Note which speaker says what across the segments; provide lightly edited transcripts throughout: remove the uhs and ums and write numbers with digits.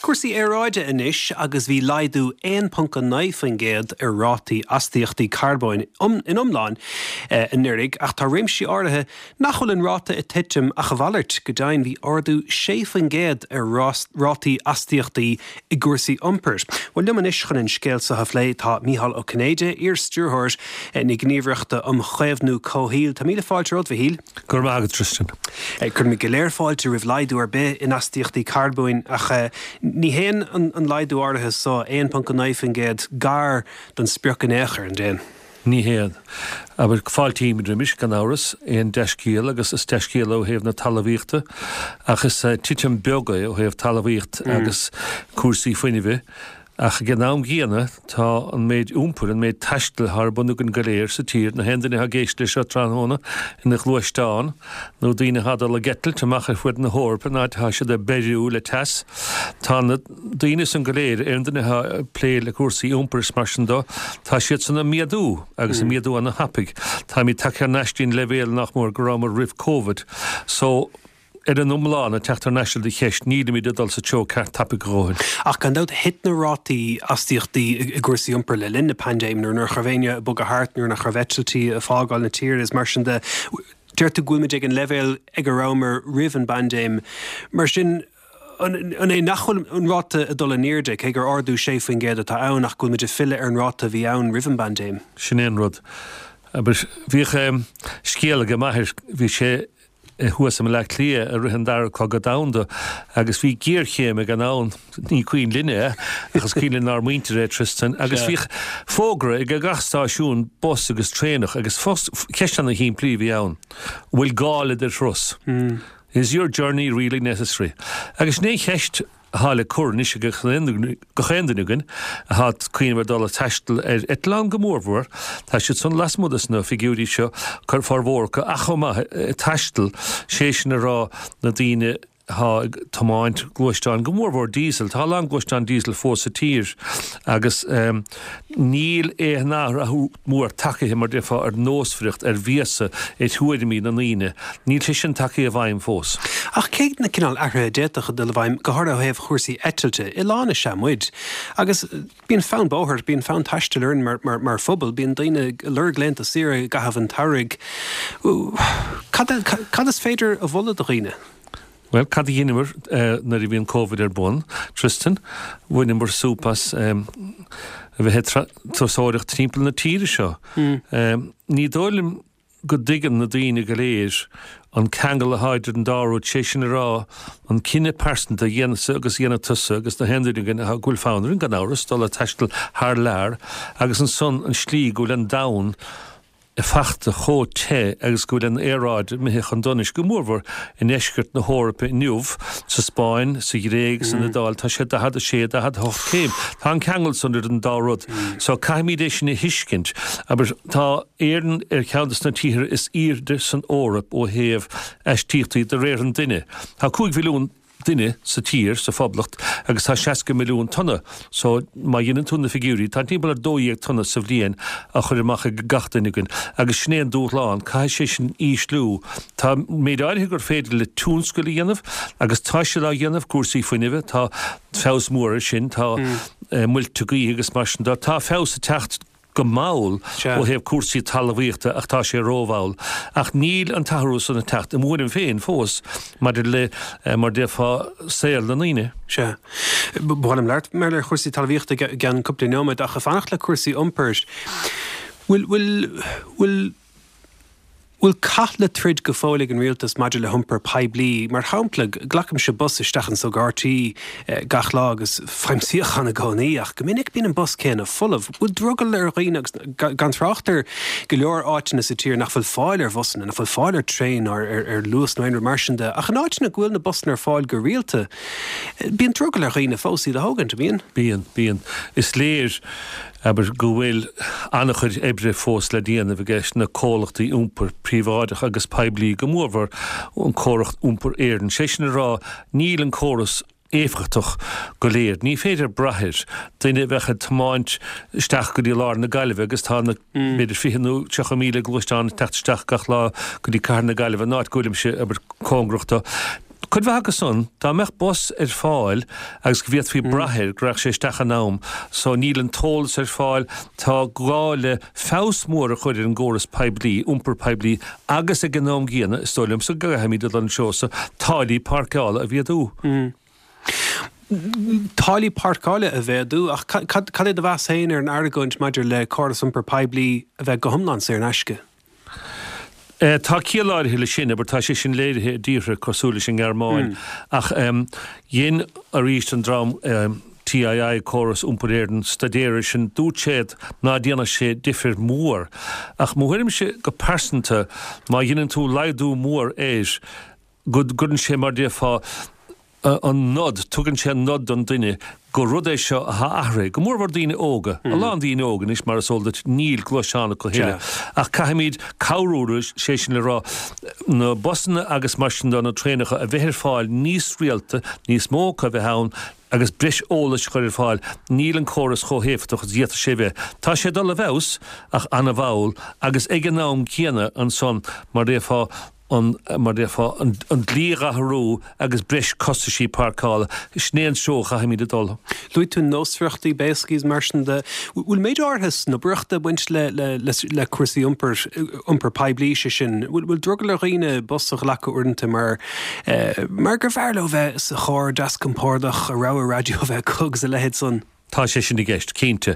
Speaker 1: Cúrsaí aeráide anois agus bhí laghdú 1.9% ar rátaí astaíochtaí carbóin in iomlán anuraidh ach tá réimsí áirithe nach bhfuil an ráta ag titim ach a mhalairt. Go deimhin bhí ardú 6% ar rátaí astaíochtaí i gcúrsaí iompair. Bhuel liom anois chun an scéal seo a phlé tá Mícheál Ó Cinnéide, iar-stiúrthóir na Gníomhaireachta um Chaomhnú Comhshaoil. Tá míle fáilte romhat, a Mhichíl.
Speaker 2: Go raibh maith agat, Tristan.
Speaker 1: Cuirimid go léir fáilte roimh laghdú ar bith in astaíochtaí carbóin ach ní théann an laghdú áirithe so, 1.9%, gar don sprioc in aon chor, an dtéann?
Speaker 2: Ní théann. Abair, fáiltímid roimis, gan amhras, aon dea-scéal agus is dea-scéal é ó thaobh na talmhaíochta ach is titim beag é ó thaobh talmhaíocht agus cúrsaí fuinnimhe. Ach ag an am gcéanna, tá an méid iompair, an méid taistil atá ar bun againn go léir sa tír, na haon duine atá ag éisteacht leis seo tráthnóna ina ghluaisteán, nó daoine atá ag dul ag eitilt amach ar fuaid na hEorpa, an áit atá siad ag beiriú le teas, tá na daoine san go léir, aon duine atá ag plé le cúrsaí iompair is mar sin dó, tá siad san ag méadú, agus ag méadú ana-thapaidh. Táimid tagtha thar n-ais dtí'n leibhéal nach mór go rabhamar roimh Covid. So. Ar an iomlán, ag teacht thar n-ais ar do cheist, nílimid ag dul sa treo ceart tapaidh a dhóthain.
Speaker 1: Ach gan dabht, thit na rátaí astaíochtaí i gcúrsaí iompair le linn na paindéime, nuair nach raibh éinne ag bogadh thart, nuair nach raibh eitiltí ag fágáil na tíre is mar sin de. Deir tú go bhfuilimid ag an leibhéal ag a rabhamar roimh an bpaindéim. Mar sin, an é nach bhfuil an ráta ag dul in airde, cé gur ardú 6% atá ann, ach go bhfuilimid ag filleadh ar an ráta a bhí ann roimh an bpaindéim?
Speaker 2: Sin é an rud. Bhíodh scéal ag m'athair, bhí sé thuas i mBaile Átha Cliath i rith an Dara Cogadh Domhanda agus bhí géarchéim ag an am, ní cuimhin linne é, ach is cuimhin lenár muintir é, Tristan, agus bhíodh fógra ag gach stáisiún bus agus traenach agus ceist ana shimplí a bhí ann, an bhfuil gá le do thuras? Is your journey really necessary? Agus sin é an cheist atá le cur anois ag gach aon duine againn atá ag cuimhneamh ar dul ag taisteal ar eitleán go mórmhór. Tá siad san lasmuigh de na figiúirí seo, formhór acu, ach chomh maith ag taisteal, sé sin a rá na daoine atá ag tiomáint gluaisteáin, go mórmhór diesel. Tá a lán gluaisteán diesel fós sa tír agus níl aon athrú mór tagtha, mar déarfá, ar nósmhaireacht, ar bhéasa, ar thuairimí na ndaoine. Níl sé sin tagtha i bhfeidhm fós.
Speaker 1: Ach cé na cineál athruithe a d'fhéadfadh a dul i bhfeidhm, go háirithe ó thaobh chúrsaí eitilte? Oileán is ea muid. Agus bíonn fonn bóthair, bíonn fonn taistil orainn mar, mar, mar phobal, bíonn daoine ag lorg laethanta saoire i gcaitheamh an tsamhraidh. Cad, cad is féidir a mholadh do dhaoine?
Speaker 2: Bhuel, cad a dheineamar nuair a bhí an Covid ar bun, Tristan? Bhaineamar súp as a bheith ag turasóireacht timpeall na tíre seo. Ní dóigh liom go dtuigeann na daoine go léir an ceangal atá idir an dá rud, sé sin a rá, an cinneadh pearsanta a dhéanfadsa agus a dhéanfaidh tusa agus na haon duine againn go bhfuil fonn orainn, gan amhras, dul ag taisteal thar lear agus ansan an slí go bhfuil an domhan fachta chomh te agus go bhfuil an aeráid imithe chun donais, go mórmhór i ndeisceart na hEorpa inniu, sa Spáinn, sa Ghréig, san Iodáil, tá sé 46, 48 céim. Tá an ceangal san idir an dá rud. So caithfimid é sin a thuiscint. Abair, tá Éirinn ar cheann de na tíortha is airde san Eoraip ó thaobh aistíochtaí de réir an duine. Tá 5 mhilliún. duine sa tír, sa Phoblacht, agus tá 60 milliún tonna, so má dheineann tú na figiúirí, tá timpeall ar 12 tonna sa bhliain á chur amach ag gach duine againn, agus sin é an dúshlán, caithfidh sé sin ísliú. Tá méid áirithe gur féidir le tionscail a dhéanamh, agus tá siad á dhéanamh, cúrsaí fuinnimhe, tá feabhas mór ar sin, tá muilte gaoithe agus mar sin de, tá feabhas ag teacht go mall ó thaobh cúrsaí talmhaíochta ach tá sé rómhall. Ach níl an t-athrú san ag teacht, i m'thuairim féin, fós maidir le, mar déarfá, saol na ndaoine.
Speaker 1: Sea. Ba mhaith liom labhairt mar ar chúrsaí talmhaíochta i gceann cúpla nóiméad ach ag fanacht le cúrsaí iompair, bhfuil, bhfuil, bhfuil, bhfuil cath le troid go fóill ag an rialtas maidir le hiompar poiblí? Mar shampla, glacaimse bus isteach anso go RTÉ gach lá agus faighim suíochán i gcónaí, ach go minic bíonn an bus céanna folamh. Bhfuil drogall ar dhaoine, agus gan trácht ar go leor áiteanna sa tír nach bhfuil fáil ar bhusanna, nach bhfuil fáil ar traein ná ar Luas nó aon rud mar sin de, ach in áiteanna go bhfuil na busanna ar fáil go rialta, bíonn drogall ar dhaoine fós iad a thógaint, an mbíonn?
Speaker 2: Bíonn, bíonn. Is léir. Abair go bhfuil an-chuid oibre fós le déanamh aige na comhlachtaí iompair príobháideach agus poiblí, go mórmhór an comhlacht Iompar Éireann. Sé sin a rá, níl an córas éifeachtach go léir. Ní féidir brath air. Duine a bheadh ag tiomáint isteach go dtí lár na Gaillimhe agus tá na b'fhéidir 20 nó 30,000 gluaisteán ag teacht isteach gach lá go dtí cathair na Gaillimhe, an áit go bhfuilimse, abair, cóngarach do. Cuid mhaith acu san, dá mbeadh bus ar fáil agus go bhféadfaí brath air go rachadh sé isteach in am, so níl an t-eolas ar fáil, tá gá le feabhas mór a chur ar an gcóras poiblí, iompar poiblí agus ag an am gcéanna, is dóigh liomsa go gcaithfimid dul an treo so, táillí páirceála a mhéadú.
Speaker 1: Táillí páirceála a mhéadú, ach cad é do mheas féin ar an argóint maidir le córas iompair poiblí a bheith go hiomlán saor in aisce?
Speaker 2: Tá ciall áirithe leis sin, abair, tá sé sin léirithe i dtíortha cosúil leis an nGearmáin, ach dhein arís an dream TII, Córas Iompair Éireann, staidéar air sin, dúirt siad ná déanfadh sé difir mór. Ach mo thuairimse go pearsanta, má dheineann tú laghdú mór air, go gcuireann sé, mar déarfá, an nod, tugann sé an nod don duine gur rud é seo atá athraithe, go mórmhór daoine óga, a lán daoine óga anois, mar is eol duit, níl gluaisteán acu a thuilleadh, ach caithfimid cabhrú leo, sé sin le rá, na busanna agus mar sin de, na traenacha a bheith ar fáil níos rialta, níos mó acu a bheith ann, agus breis eolais a chur ar fáil, níl an córas chomh héifeachtach is a d'fhéadfadh sé a bheith. Tá sé ag dul i bhfeabhas, ach an-mhall, agus ag an am céanna ansan, mar a déarfá, an, mar a déarfá, an dlí a athrú agus breis costaisí páirceála, sin é an treo a chaithfimid a dul.
Speaker 1: Luaigh tú nósmhaireachtaí, béascnaí is mar sin de. Bhfuil méid áirithe snobaireachta ag baint le, le, le, le cúrsaí iompair, iompar poiblí, sé sin? Bhfuil, bhfuil drogall ar dhaoine bus a ghlacadh uaireanta mar, mar gur bhfearr leo bheith sa charr deas compordach, a rogha raidió a bheith acu agus a leithéid san?
Speaker 2: Tá sé sin i gceist, cinnte.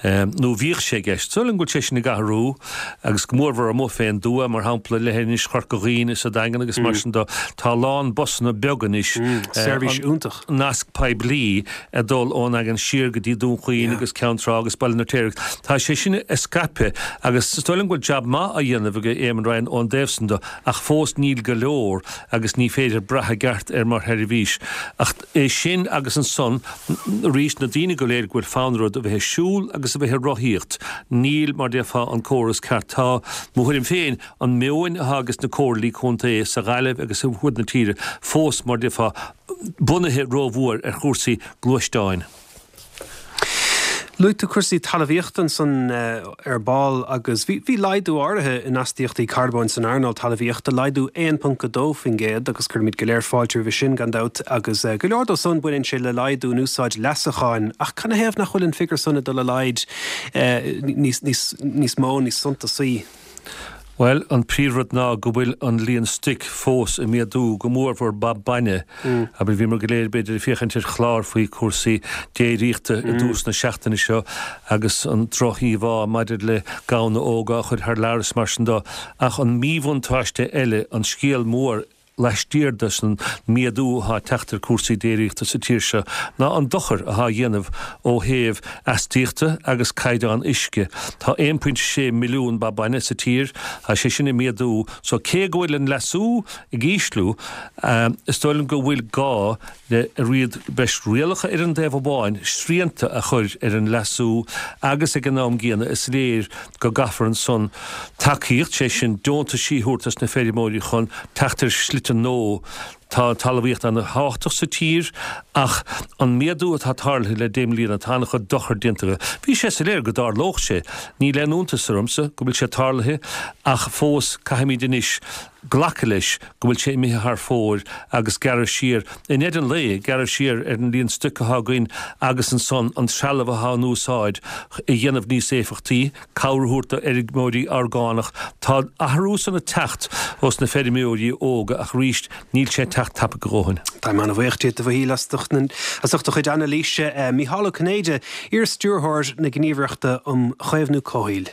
Speaker 2: Nó bhíodh sé i gceist. Is dóigh liom go bhfuil sé sin ag athrú, agus go mórmhór amuigh fén dtuath, mar shampla, leithinis Chorca Dhuibhne is an Daingean agus mar sin de. Tá a lán busanna beaga anois.
Speaker 1: Seirbhís iontach.
Speaker 2: Nasc poiblí ag dul ón nDaingean siar go dtí Dún Chaoin agus Ceann Trá agus Baile an Fheirtéaraigh. Tá sé sin ag scaipeadh agus is dóigh liom go bhfuil jab maith á dhéanamh ag Éamon Ryan ón dtaobh san de ach fós níl go leor agus ní féidir brath i gceart air mar sheirbhís. Ach é sin agus ansan arís na daoine go léir go bhfuil fonn orthu a bheith ag siúl agus a bheith ag rothaíocht, níl, mar déarfá, an córas ceart. Tá, mo thuairim féin, an meoin atá ages na comhairlí contae sa Ghaillimh agus ar fud na tíre fós, mar déarfá, bunaithe rómhór ar chúrsaí gluaisteáin.
Speaker 1: Luaigh tú cúrsaí talmhaíochta ansan ar ball agus bhí laghdú áirithe in astaíochtaí carbóin san earnáil talmhaíochta, laghdú 1.2% agus cuirimid go léir fáilte roimhe sin gan dabht agus go leor dó san baineann sé le laghdú in úsáid leasacháin ach canathaobh nach bhfuil an figiúr san ag dul i laghad níos mó, níos suntasaí?
Speaker 2: Bhuel, an príomhrud ná go bhfuil an líon stoic fós ag méadú, go mórmhór ba bainne. Abair, bhíomar go léir, b'fhéidir, ag féachaint ar chlár faoi chúrsaí déiríochta i dtús na seachtaine seo agus an droch-íomhá maidir le gamhna óga á chur thar lear is mar sin de. Ach an míbhuntáiste eile, an scéal mór, laistiar de san méadú atá ag teacht ar cúrsaí déiríochta sa tír seo ná an dochar atá á dhéanamh ó thaobh astaíochta agus caighdeán uisce. Tá 1.6 milliún ba bainne sa tír, tá sé sin ag méadú, so cé go bhfuil an leasú ag ísliú, is dóigh liom go bhfuil gá le riad breis rialacha ar an dtaobh amháin, srianta a chur ar an leasú agus ag an am gcéanna is léir go gcaithfear ansan tacaíocht, sé sin deontaisí a thabhairt dos na feirmeoirí chun teacht ar shlite nua. Tá an talmhaíocht ana thábhachtach sa tír ach an méadú atá tarlaithe le deich mbliana, tá ana-chuid dochar déanta aige. Bhí sé soiléir go dtarlódh sé. Níl aon iontas ormsa go bhfuil sé tarlaithe ach fós caithfimid anois glacadh leis go bhfuil sé imithe thar fóir agus gearradh siar, i ndeireadh an lae, gearradh siar ar an líon stoic atá againn agus ansan an trealamh atá in úsáid a dhéanamh níos éifeachtaí, cabhair a thabhairt do fheirmeoirí orgánach. Tá athrú san ag teacht ós na feirmeoirí óga ach arís níl sé ag teacht tapaidh a dhóthain.
Speaker 1: Táim an-bhuíoch díot, a Mhichíl, as ucht do chuid anailíse. Mícheál Ó Cinnéide, iar-stiúrthóir na Gníomhaireachta um Chaomhnú Comhshaoil.